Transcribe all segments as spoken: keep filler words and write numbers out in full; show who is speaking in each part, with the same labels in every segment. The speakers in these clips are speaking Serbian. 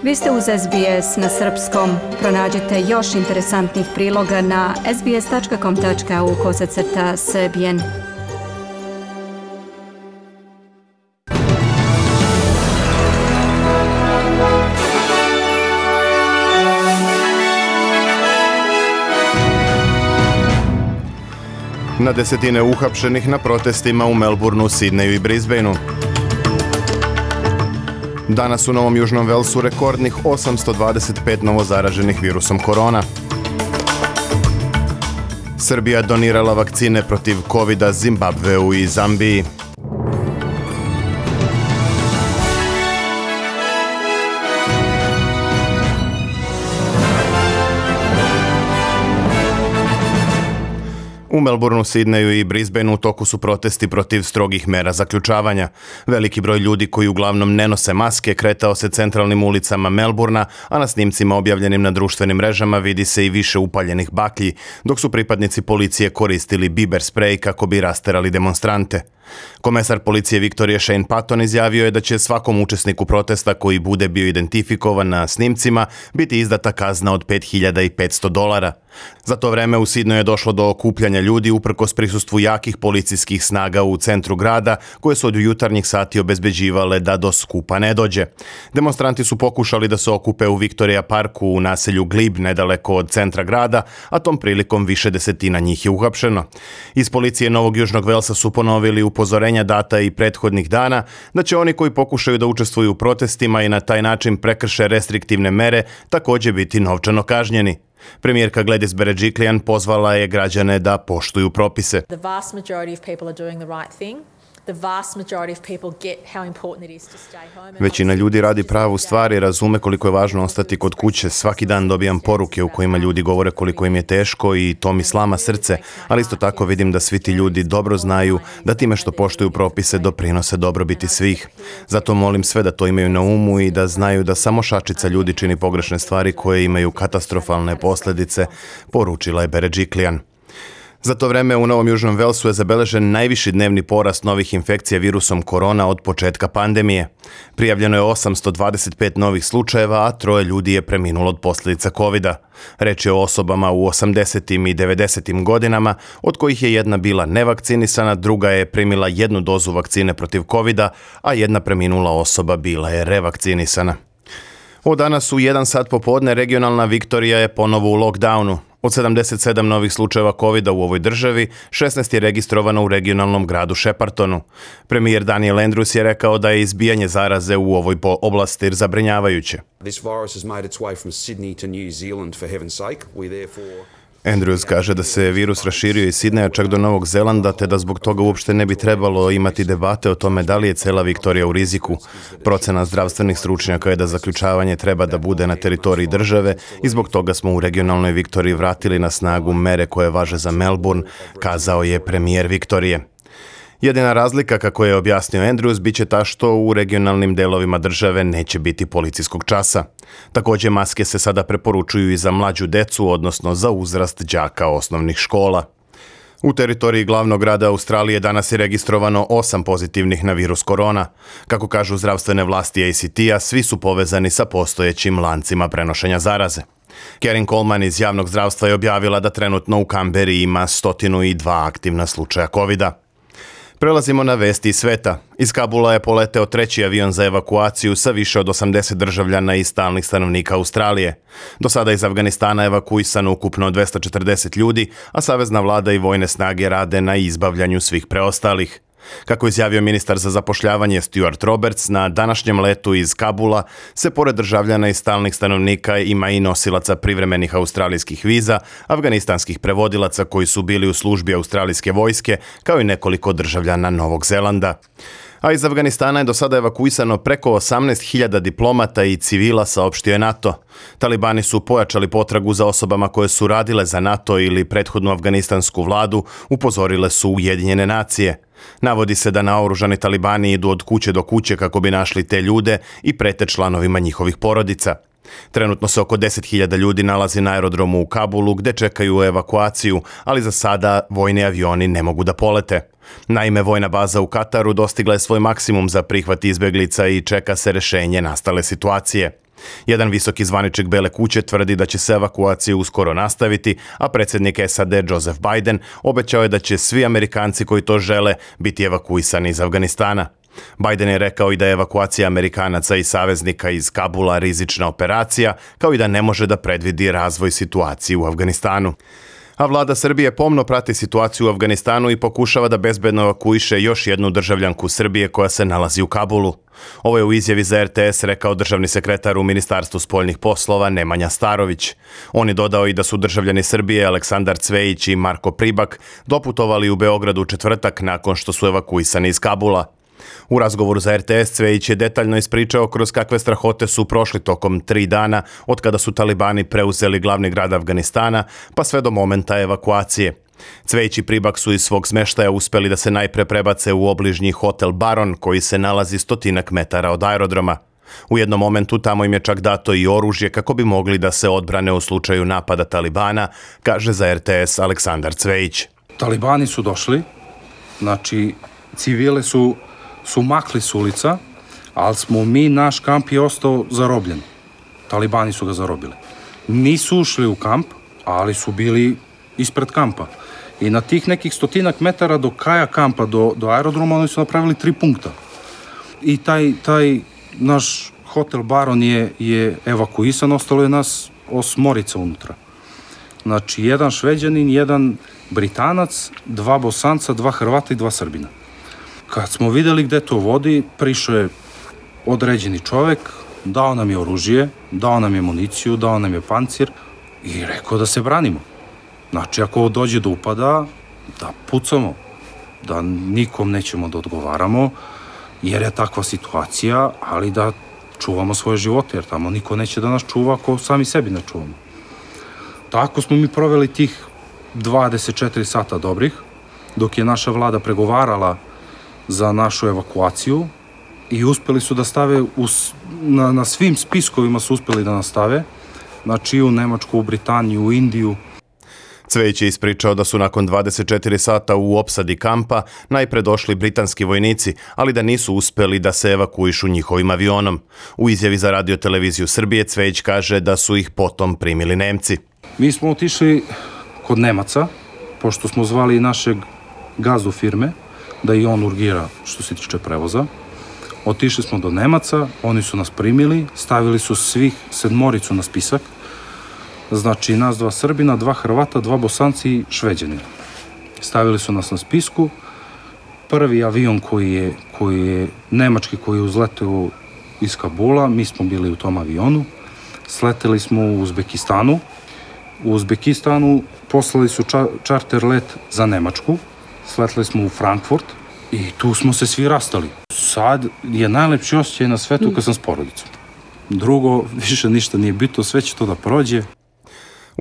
Speaker 1: Vi ste uz S B S na srpskom. Pronađite još interesantnih priloga na sbs.com.au kosacrta srbijen.
Speaker 2: Na desetine uhapšenih na protestima u Melbourneu, Sidneju i Brisbaneu. Danas u Novom Južnom Velsu rekordnih osamsto dvadeset pet novozaraženih virusom korona. Srbija donirala vakcine protiv kovida Zimbabveu i Zambiji. U Melbourneu, Sidneju i Brisbaneu u toku su protesti protiv strogih mera zaključavanja. Veliki broj ljudi koji uglavnom ne nose maske kretao se centralnim ulicama Melbourna, a na snimcima objavljenim na društvenim mrežama vidi se i više upaljenih baklji, dok su pripadnici policije koristili biber sprej kako bi rasterali demonstrante. Komesar policije Viktorije Shane Patton izjavio je da će svakom učesniku protesta koji bude bio identifikovan na snimcima biti izdata kazna od pet hiljada petsto dolara. Za to vreme u Sidneju je došlo do okupljanja ljudi uprkos prisustvu jakih policijskih snaga u centru grada, koje su od jutarnjih sati obezbeđivale da do skupa ne dođe. Demonstranti su pokušali da se okupe u Victoria Parku u naselju Glebe nedaleko od centra grada, a tom prilikom više desetina njih je uhapšeno. Iz policije Novog Južnog Velsa su ponovili upozorenja data i prethodnih dana da će oni koji pokušaju da učestvuju u protestima i na taj način prekrše restriktivne mere također biti novčano kažnjeni. Premijerka Gladys Berejiklian pozvala je građane da poštuju propise.
Speaker 3: The vast majority of people are doing the right thing. The vast majority of people get how important it is to stay home.
Speaker 2: Većina ljudi radi pravu stvar i razume koliko je važno ostati kod kuće. Svaki dan dobijam poruke u kojima ljudi govore koliko im je teško i to mi slama srce, ali isto tako vidim da svi ti ljudi dobro znaju da time što poštuju propise doprinose dobrobiti svih. Zato molim sve da to imaju na umu i da znaju da samo šačica ljudi čini pogrešne stvari koje imaju katastrofalne posljedice, poručila je Berejiklian. Za to vreme u Novom Južnom Velsu je zabeležen najviši dnevni porast novih infekcija virusom korona od početka pandemije. Prijavljeno je osamsto dvadeset pet novih slučajeva, a troje ljudi je preminulo od posljedica kovida. Reč je o osobama u osamdesetim i devedesetim godinama, od kojih je jedna bila nevakcinisana, druga je primila jednu dozu vakcine protiv kovida, a jedna preminula osoba bila je revakcinisana. Od danas u jedan sat popodne regionalna Viktorija je ponovo u lockdownu. Od sedamdeset sedam novih slučajeva kovida u ovoj državi, šesnaest je registrovano u regionalnom gradu Sheppartonu. Premijer Daniel Andrews je rekao da je izbijanje zaraze u ovoj oblasti zabrinjavajuće.
Speaker 4: This virus has made its way from Sydney to New Zealand, for heaven's sake. We therefore
Speaker 2: Andrews kaže da se virus raširio iz Sidneja čak do Novog Zelanda, te da zbog toga uopšte ne bi trebalo imati debate o tome da li je cela Viktorija u riziku. Procena zdravstvenih stručnjaka je da zaključavanje treba da bude na teritoriji države i zbog toga smo u regionalnoj Viktoriji vratili na snagu mere koje važe za Melbourne, kazao je premijer Viktorije. Jedina razlika, kako je objasnio Andrews, bit će ta što u regionalnim delovima države neće biti policijskog časa. Također maske se sada preporučuju i za mlađu decu, odnosno za uzrast đaka osnovnih škola. U teritoriji glavnog grada Australije danas je registrovano osam pozitivnih na virus korona. Kako kažu zdravstvene vlasti A C T-a, svi su povezani sa postojećim lancima prenošenja zaraze. Karen Coleman iz javnog zdravstva je objavila da trenutno u Kamberi ima sto dva aktivna slučaja kovida. Prelazimo na vesti iz sveta. Iz Kabula je poleteo treći avion za evakuaciju sa više od osamdeset državljana i stalnih stanovnika Australije. Do sada iz Afganistana evakuisano ukupno dvesta četrdeset ljudi, a savezna vlada i vojne snage rade na izbavljanju svih preostalih. Kako je izjavio ministar za zapošljavanje Stuart Roberts, na današnjem letu iz Kabula se pored državljana i stalnih stanovnika ima i nosilaca privremenih australijskih viza, afganistanskih prevodilaca koji su bili u službi australijske vojske, kao i nekoliko državljana Novog Zelanda. A iz Afganistana je do sada evakuisano preko osamnaest hiljada diplomata i civila, saopštio je NATO. Talibani su pojačali potragu za osobama koje su radile za NATO ili prethodnu afganistansku vladu, upozorile su Ujedinjene nacije. Navodi se da naoružani talibani idu od kuće do kuće kako bi našli te ljude i prete članovima njihovih porodica. Trenutno se oko deset hiljada ljudi nalazi na aerodromu u Kabulu gde čekaju evakuaciju, ali za sada vojni avioni ne mogu da polete. Naime, vojna baza u Kataru dostigla je svoj maksimum za prihvat izbjeglica i čeka se rešenje nastale situacije. Jedan visoki zvaničnik Bele kuće tvrdi da će se evakuacija uskoro nastaviti, a predsjednik S A D Joseph Biden obećao je da će svi Amerikanci koji to žele biti evakuisani iz Afganistana. Biden je rekao i da je evakuacija Amerikanaca i saveznika iz Kabula rizična operacija, kao i da ne može da predvidi razvoj situacije u Afganistanu. A vlada Srbije pomno prati situaciju u Afganistanu i pokušava da bezbedno evakuiše još jednu državljanku Srbije koja se nalazi u Kabulu. Ovo je u izjavi za R T S rekao državni sekretar u Ministarstvu spoljnih poslova Nemanja Starović. On je dodao i da su državljani Srbije Aleksandar Cvejić i Marko Pribak doputovali u Beograd u četvrtak nakon što su evakuisani iz Kabula. U razgovoru za R T S Cvejić je detaljno ispričao kroz kakve strahote su prošli tokom tri dana od kada su talibani preuzeli glavni grad Afganistana pa sve do momenta evakuacije. Cvejić i Pribak su iz svog smeštaja uspeli da se najpre prebace u obližnji hotel Baron koji se nalazi stotinak metara od aerodroma. U jednom momentu tamo im je čak dato i oružje kako bi mogli da se odbrane u slučaju napada talibana, kaže za R T S Aleksandar Cvejić.
Speaker 5: Talibani su došli, znači civile su su makli s ulica, ali smo mi, naš kamp je ostao zarobljen. Talibani su ga zarobili. Nisu ušli u kamp, ali su bili ispred kampa. I na tih nekih stotinak metara do kraja kampa, do, do aerodroma, oni su napravili tri punkta. I taj, taj naš hotel Baron je, je evakuisan, ostalo je nas osmorica unutra. Znači, jedan Šveđanin, jedan Britanac, dva Bosanca, dva Hrvata i dva Srbina. Kad smo videli gde to vodi, prišao je određeni čovek, dao nam je oružje, dao nam je municiju, dao nam je pancir i rekao da se branimo. Znači, ako dođe do upada, da pucamo, da nikom nećemo da odgovaramo, jer je takva situacija, ali da čuvamo svoje živote, jer tamo niko neće da nas čuva ako sami sebi ne čuvamo. Tako smo mi proveli tih dvadeset četiri sata dobrih, dok je naša vlada pregovarala za našu evakuaciju i uspeli su da stave, u, na, na svim spiskovima su uspeli da nas stave, znači u Nemačku, u Britaniju, u Indiju.
Speaker 2: Cvejić je ispričao da su nakon dvadeset četiri sata u opsadi kampa najpre došli britanski vojnici, ali da nisu uspeli da se evakuišu njihovim avionom. U izjavi za Radio televiziju Srbije Cvejić kaže da su ih potom primili Nemci.
Speaker 5: Mi smo otišli kod Nemaca, pošto smo zvali našeg gazdu firme, da i on urgira što se tiče prevoza. Otišli smo do Nemaca, oni su nas primili, stavili su svih sedmoricu na spisak, znači nas dva Srbina, dva Hrvata, dva Bosanci i Šveđanina. Stavili su nas na spisku. Prvi avion koji je, koji je nemački, koji je uzleteo iz Kabula, mi smo bili u tom avionu. Sleteli smo u Uzbekistanu. U Uzbekistanu poslali su ča, čarter let za Nemačku. Sleteli smo u Frankfurt i tu smo se svi rastali. Sad je najlepši osjećaj na svetu kad sam s porodicom. Drugo, više ništa nije bitno, sve će to da prođe.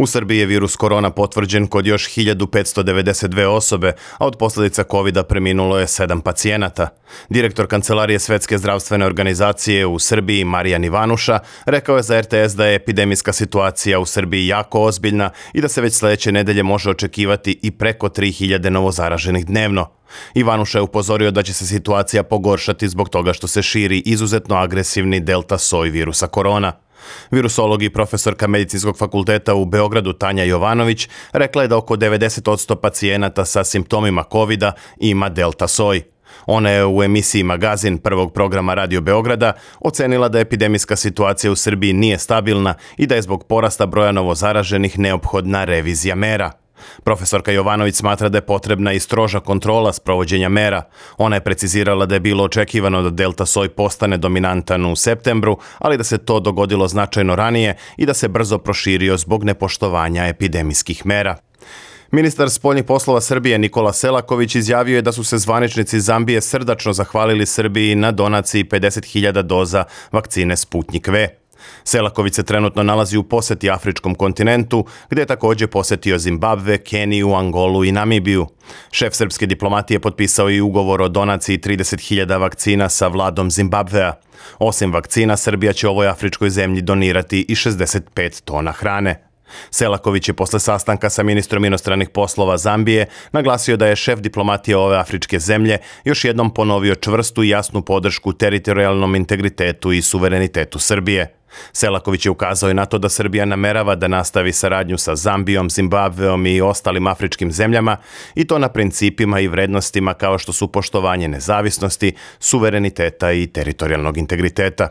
Speaker 2: U Srbiji je virus korona potvrđen kod još hiljadu petsto devedeset dve osobe, a od posljedica kovida preminulo je sedam pacijenata. Direktor Kancelarije Svetske zdravstvene organizacije u Srbiji Marijan Ivanuša rekao je za R T S da je epidemijska situacija u Srbiji jako ozbiljna i da se već sledeće nedelje može očekivati i preko tri hiljade novozaraženih dnevno. Ivanuša je upozorio da će se situacija pogoršati zbog toga što se širi izuzetno agresivni delta soj virusa korona. Virusolog i profesorka Medicinskog fakulteta u Beogradu Tanja Jovanović rekla je da oko devedeset posto pacijenata sa simptomima kovida ima delta soj. Ona je u emisiji Magazin prvog programa Radio Beograda ocenila da epidemijska situacija u Srbiji nije stabilna i da je zbog porasta broja novozaraženih neophodna revizija mera. Profesorka Jovanović smatra da je potrebna i stroža kontrola sprovođenja mera. Ona je precizirala da je bilo očekivano da delta soj postane dominantan u septembru, ali da se to dogodilo značajno ranije i da se brzo proširio zbog nepoštovanja epidemijskih mera. Ministar spoljnih poslova Srbije Nikola Selaković izjavio je da su se zvaničnici Zambije srdačno zahvalili Srbiji na donaciji pedeset hiljada doza vakcine Sputnik V. Selaković se trenutno nalazi u poseti afričkom kontinentu, gde je također posetio Zimbabve, Keniju, Angolu i Namibiju. Šef srpske diplomatije potpisao i ugovor o donaciji trideset hiljada vakcina sa vladom Zimbabvea. Osim vakcina, Srbija će ovoj afričkoj zemlji donirati i šezdeset pet tona hrane. Selaković je posle sastanka sa ministrom inostranih poslova Zambije naglasio da je šef diplomatije ove afričke zemlje još jednom ponovio čvrstu i jasnu podršku teritorijalnom integritetu i suverenitetu Srbije. Selaković je ukazao i na to da Srbija namerava da nastavi saradnju sa Zambijom, Zimbabveom i ostalim afričkim zemljama i to na principima i vrednostima kao što su poštovanje nezavisnosti, suvereniteta i teritorijalnog integriteta.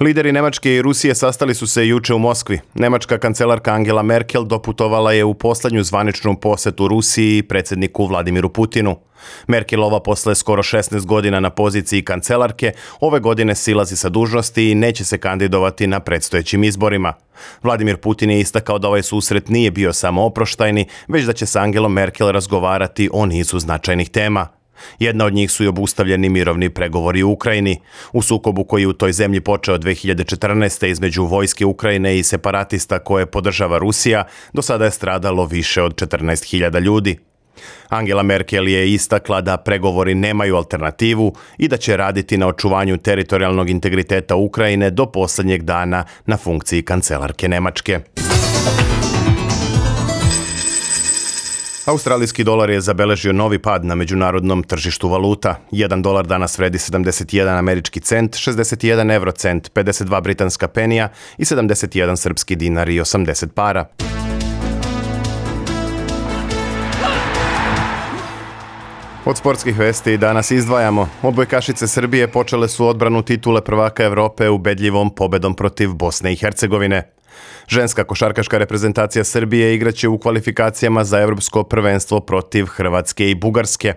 Speaker 2: Lideri Nemačke i Rusije sastali su se juče u Moskvi. Nemačka kancelarka Angela Merkel doputovala je u poslednju zvaničnu posetu Rusiji i predsjedniku Vladimiru Putinu. Merkelova posle skoro šesnaest godina na poziciji kancelarke ove godine silazi sa dužnosti i neće se kandidovati na predstojećim izborima. Vladimir Putin je istakao da ovaj susret nije bio samo oproštajni, već da će s Angelom Merkel razgovarati o nizu značajnih tema. Jedna od njih su i obustavljeni mirovni pregovori u Ukrajini. U sukobu koji je u toj zemlji počeo dve hiljade četrnaeste. između vojske Ukrajine i separatista koje podržava Rusija, do sada je stradalo više od četrnaest hiljada ljudi. Angela Merkel je istakla da pregovori nemaju alternativu i da će raditi na očuvanju teritorijalnog integriteta Ukrajine do posljednjeg dana na funkciji kancelarke Nemačke. Australijski dolar je zabeležio novi pad na međunarodnom tržištu valuta. Jedan dolar danas vredi sedamdeset jedan američki cent, šezdeset jedan eurocent, pedeset dva britanska penija i sedamdeset jedan srpski dinar i osamdeset para. Od sportskih vesti danas izdvajamo. Odbojkašice Srbije počele su odbranu titule prvaka Evrope ubedljivom pobedom protiv Bosne i Hercegovine. Ženska košarkaška reprezentacija Srbije igraće u kvalifikacijama za evropsko prvenstvo protiv Hrvatske i Bugarske.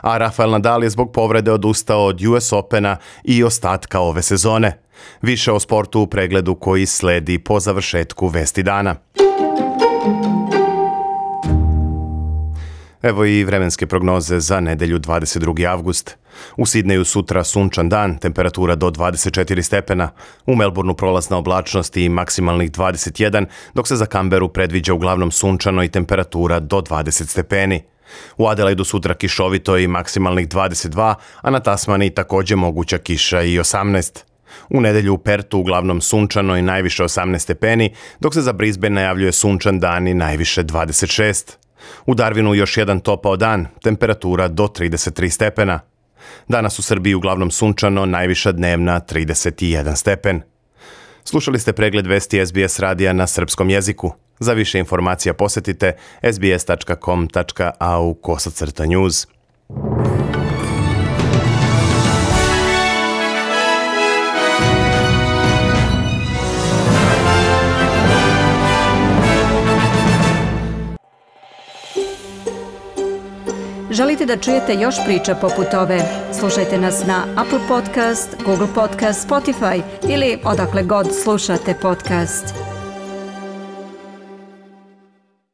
Speaker 2: A Rafael Nadal je zbog povrede odustao od U S Opena i ostatka ove sezone. Više o sportu u pregledu koji sledi po završetku Vesti dana. Evo i vremenske prognoze za nedelju dvadeset drugi avgust. U Sidneju sutra sunčan dan, temperatura do dvadeset četiri stepena. U Melbourneu prolazna oblačnost i maksimalnih dvadeset jedan, dok se za Kamberu predviđa uglavnom sunčano i temperatura do dvadeset stepeni. U Adelaidu sutra kišovito i maksimalnih dvadeset dva, a na Tasmaniji također moguća kiša i osamnaest. U nedelju u Pertu uglavnom sunčano i najviše osamnaest stepeni, dok se za Brisbane najavljuje sunčan dan i najviše dvadeset šest. U Darwinu još jedan topao dan, temperatura do trideset tri stepena. Danas u Srbiji uglavnom sunčano, najviša dnevna trideset jedan stepen. Slušali ste pregled vesti S B S radija na srpskom jeziku. Za više informacija posjetite s b s tačka com tačka a u kosacrta news.
Speaker 1: Želite da čujete još priča poput ove? Slušajte nas na Apple Podcast, Google Podcast, Spotify ili odakle god slušate podcast.